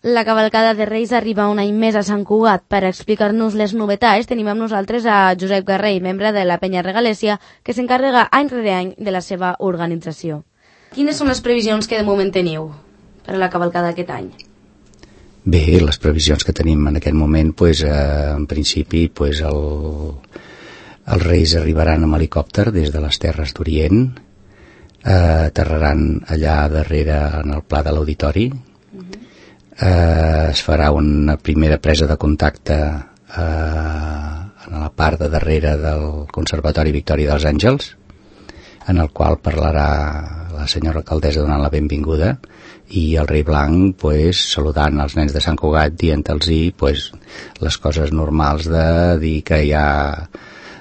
La cavalcada de Reis arriba un any més a Sant Cugat. Per explicar-nos les novetats tenim amb nosaltres a Josep Garrell, membre de la Penya Regalèssia, que s'encarrega any rere any de la seva organització. Quines són les previsions que de moment teniu per a la cavalcada d'aquest any? Bé, les previsions que tenim en aquest moment, en principi, els Reis arribaran amb helicòpter des de les Terres d'Orient, aterraran allà darrere en el pla de l'auditori. Es farà una primera presa de contacte en la part de darrere del Conservatori Victòria dels Àngels, en el qual parlarà la senyora alcaldessa donant la benvinguda, i el rei blanc saludant els nens de Sant Cugat, dient-los les coses normals de dir que ja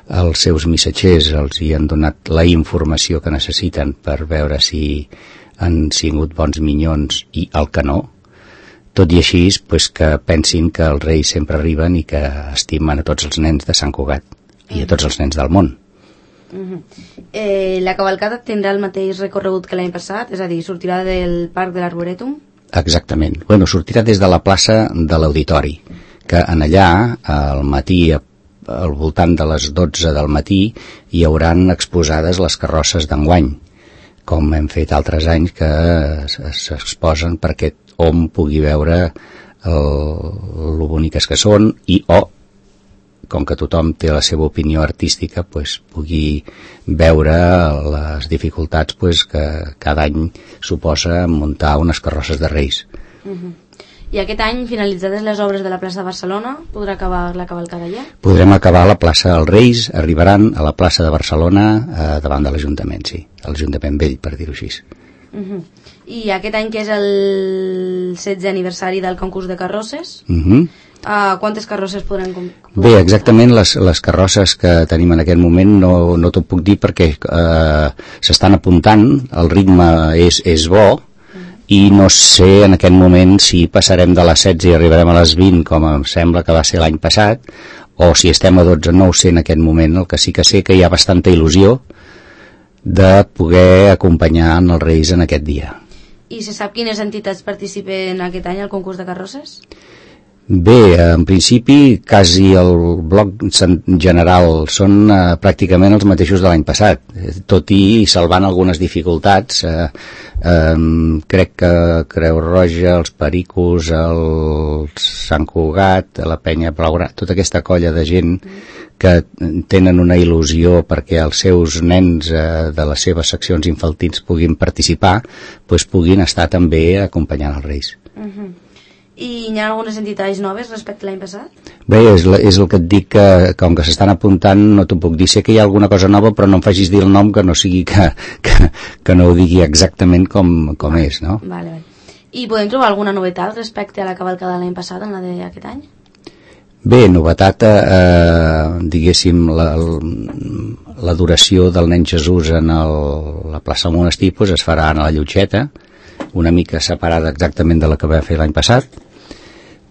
els seus missatgers els hi han donat la informació que necessiten per veure si han sigut bons minyons i el que no. Tot i així, que pensin que els reis sempre arriben i que estimen a tots els nens de Sant Cugat i a tots els nens del món. La cavalcada tindrà el mateix recorregut que l'any passat? És a dir, sortirà del Parc de l'Arborètum? Exactament. Sortirà des de la plaça de l'Auditori, que en allà, al matí, al voltant de les 12 del matí, hi hauran exposades les carrosses d'enguany, com hem fet altres anys que s'exposen perquè hom pugui veure lo boniques que són i com que tothom té la seva opinió artística, pugui veure les dificultats que cada any suposa muntar unes carrosses de Reis. I aquest any, finalitzades les obres de la plaça de Barcelona, podrà acabar la cavalcada allà? Podrem acabar a la plaça dels Reis, arribaran a la plaça de Barcelona davant de l'Ajuntament, sí, l'Ajuntament vell, per dir-ho així. I aquest any, que és el 16è aniversari del concurs de carrosses, quantes carrosses podran comprar? Bé, exactament les carrosses que tenim en aquest moment no t'ho puc dir perquè s'estan apuntant, el ritme és bo, i no sé en aquest moment si passarem de les 16 i arribarem a les 20 com em sembla que va ser l'any passat, o si estem a 12, no ho sé en aquest moment. El que sí que sé que hi ha bastanta il·lusió de poder acompanyar els Reis en aquest dia. I se sap quines entitats participen aquest any al concurs de carrosses? Bé, en principi quasi el bloc general són pràcticament els mateixos de l'any passat, tot i salvant algunes dificultats. Crec que Creu Roja, els Pericos, el Sant Cugat, la Penya Blaugrana, tota aquesta colla de gent que tenen una il·lusió perquè els seus nens de les seves seccions infantils puguin participar, puguin estar també acompanyant els Reis. I hi ha algunes entitats noves respecte a l'any passat? Bé, és el que et dic, que com que s'estan apuntant no t'ho puc dir. Sé que hi ha alguna cosa nova, però no em facis dir el nom, que no sigui que no ho digui exactament com és, no? Vale. I podem trobar alguna novetat respecte a la cavalcada de l'any passat, en la d'aquest any? Bé, novetat, diguéssim, l'adoració del nen Jesús en la plaça del Monestir es farà a la Llotxeta, una mica separada exactament de la que va fer l'any passat.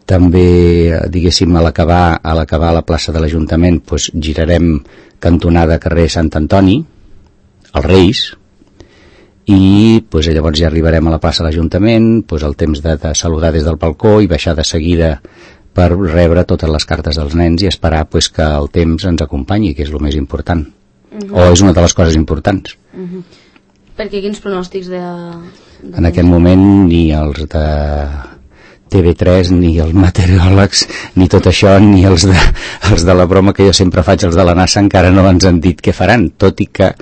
També, diguéssim, a l'acabar la plaça de l'Ajuntament, girarem cantonada carrer Sant Antoni, als Reis, i llavors ja arribarem a la plaça de l'Ajuntament, el temps de saludar des del balcó i baixar de seguida per rebre totes les cartes dels nens i esperar que el temps ens acompanyi, que és el més important, o és una de les coses importants. Perquè quins pronòstics en aquest moment ni els de TV3 ni els meteoròlegs ni tot això, ni els de la broma que jo sempre faig, els de la NASA, encara no ens han dit què faran, tot i que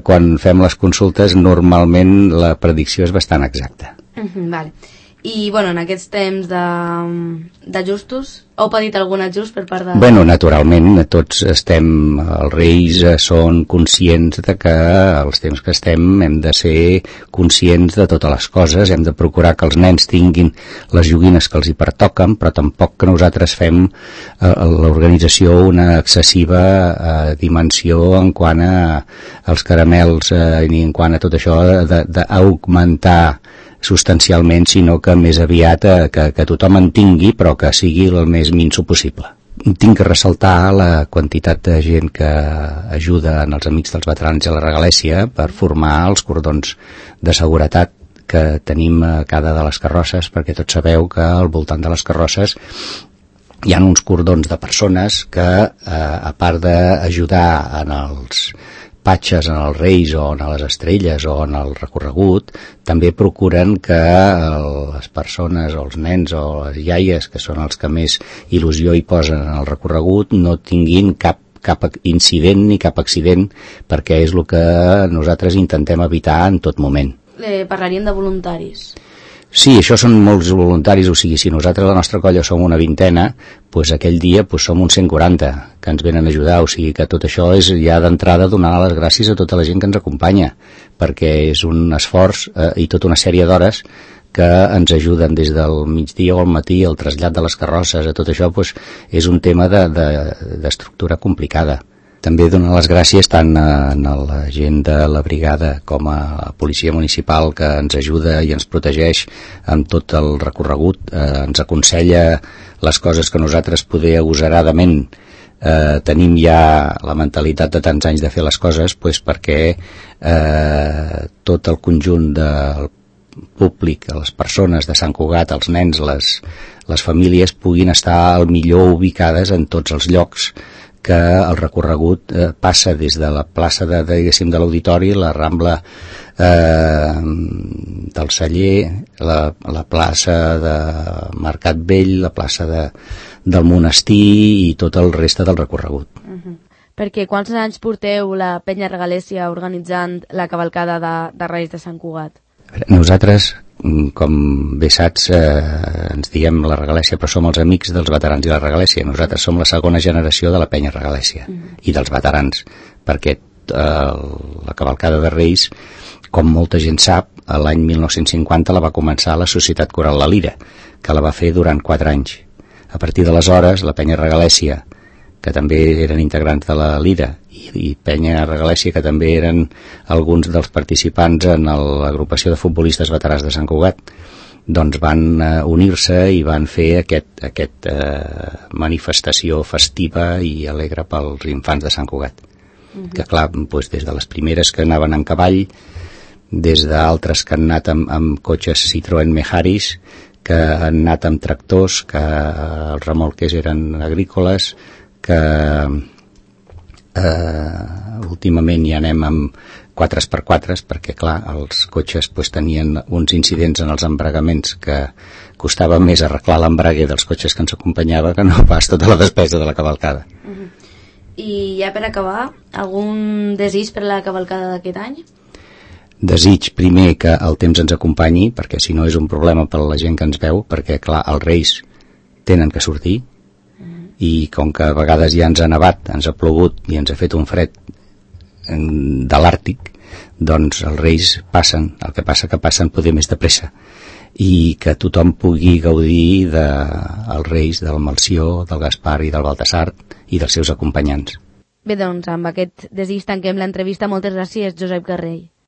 quan fem les consultes normalment la predicció és bastant exacta. Vale. I, en aquests temps d'ajustos, heu patit algun ajust per part de... Naturalment, tots estem, els Reis són conscients de que els temps que estem hem de ser conscients de totes les coses, hem de procurar que els nens tinguin les joguines que els hi pertoquen, però tampoc que nosaltres fem l'organització una excessiva dimensió en quant als caramels ni en quant a tot això d'augmentar substancialment, sinó que més aviat que tothom en tingui, però que sigui el més minso possible. Tinc que ressaltar la quantitat de gent que ajuda en els Amics dels Veterans de la Regalèssia per formar els cordons de seguretat que tenim a cada de les carrosses, perquè tots sabeu que al voltant de les carrosses hi ha uns cordons de persones que, a part d'ajudar en els patges, en els reis o en les estrelles o en el recorregut, també procuren que les persones o els nens o les iaies, que són els que més il·lusió hi posen en el recorregut, no tinguin cap incident ni cap accident, perquè és el que nosaltres intentem evitar en tot moment. Parlaríem de voluntaris. Sí, això són molts voluntaris, o sigui, si nosaltres a la nostra colla som una vintena, doncs aquell dia som uns 140 que ens venen a ajudar, o sigui que tot això és ja d'entrada donar les gràcies a tota la gent que ens acompanya, perquè és un esforç i tota una sèrie d'hores que ens ajuden des del migdia o al matí, el trasllat de les carrosses, a tot això és un tema d'estructura complicada. També donar les gràcies tant a la gent de la brigada com a la policia municipal, que ens ajuda i ens protegeix amb tot el recorregut, ens aconsella les coses que nosaltres poder agosaradament tenim ja la mentalitat de tants anys de fer les coses, perquè tot el conjunt del públic, les persones de Sant Cugat, els nens, les famílies puguin estar al millor ubicades en tots els llocs que el recorregut passa des de la plaça de l'Auditori, la Rambla del Celler, la plaça de Mercat Vell, la plaça del Monestir i tot el reste del recorregut. Perquè quants anys porteu la Penya Regalèssia organitzant la cavalcada de Reis de Sant Cugat? Nosaltres, com bé saps, ens diem la Regalèssia, però som els amics dels veterans i la Regalèssia. Nosaltres som la segona generació de la Penya Regalèssia i dels veterans, perquè la cavalcada de Reis, com molta gent sap, l'any 1950 la va començar la Societat Coral La Lira, que la va fer durant 4 anys. A partir d'aleshores, la Penya Regalèssia, que també eren integrants de la Lira, i Penya Regalèssia, que també eren alguns dels participants en l'agrupació de futbolistes veterans de Sant Cugat, doncs van unir-se i van fer aquest manifestació festiva i alegre pels infants de Sant Cugat. Que clar, des de les primeres que anaven en cavall, des d'altres que han anat amb cotxes Citroën Meharis, que han anat amb tractors, que els remolques eren agrícoles, que últimament ja anem amb 4x4, perquè clar, els cotxes tenien uns incidents en els embragaments que costava més arreglar l'embrague dels cotxes que ens acompanyava que no pas tota la despesa de la cavalcada. I ja per acabar, algun desig per la cavalcada d'aquest any? Desig primer que el temps ens acompanyi, perquè si no és un problema per a la gent que ens veu, perquè clar, els Reis tenen que sortir, i com que a vegades ja ens ha nevat, ens ha plogut i ens ha fet un fred de l'Àrtic, doncs els Reis passen, el que passa que passen poder més de pressa, i que tothom pugui gaudir dels Reis, del Melcior, del Gaspar i del Baltasar i dels seus acompanyants. Bé, doncs amb aquest desig tanquem l'entrevista. Moltes gràcies, Josep Garrell.